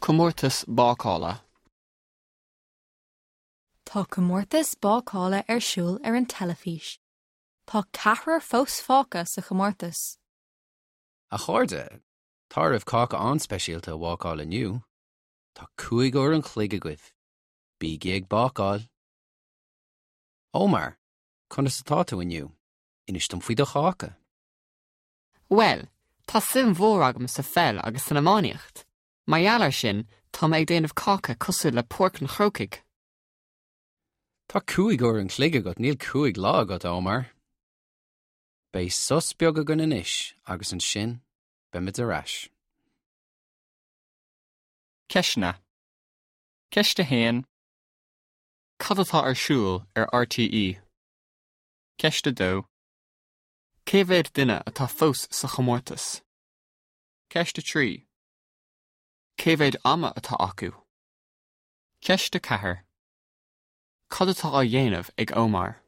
Comórtas bácála. Tá comórtas bácála ar siúl ar an teilifís. Tá ceathrar fós fágtha sa chomórtas. A chairde, tá oraibh cáca an-speisialta a bhácáil inniu. Tá 5 uair an chloig agaibh. Bígí ag bácáil! Omar, conas atá tú inniu? Inis dom faoi do cháca. Bhuel, tá suim mhór agam sa pheil agus san iománaíocht. Mar gheall air sin, tá mé ag déanamh cáca cosúil le Páirc an Chrócaigh. Tá 5 uair an chloig agat, níl 5 lá agat, Omar. Beidh sos beag againn anois agus ansin beimid ar ais. Ceisteanna. Ceist 1. Cad atá ar siúl ar RTÉ? Ceist 2. Cé mhéad duine atá fós sa chomórtas? Ceist 3. Cé mhéad ama atá acu? Ceist 4. Cad atá á dhéanamh ag Omar?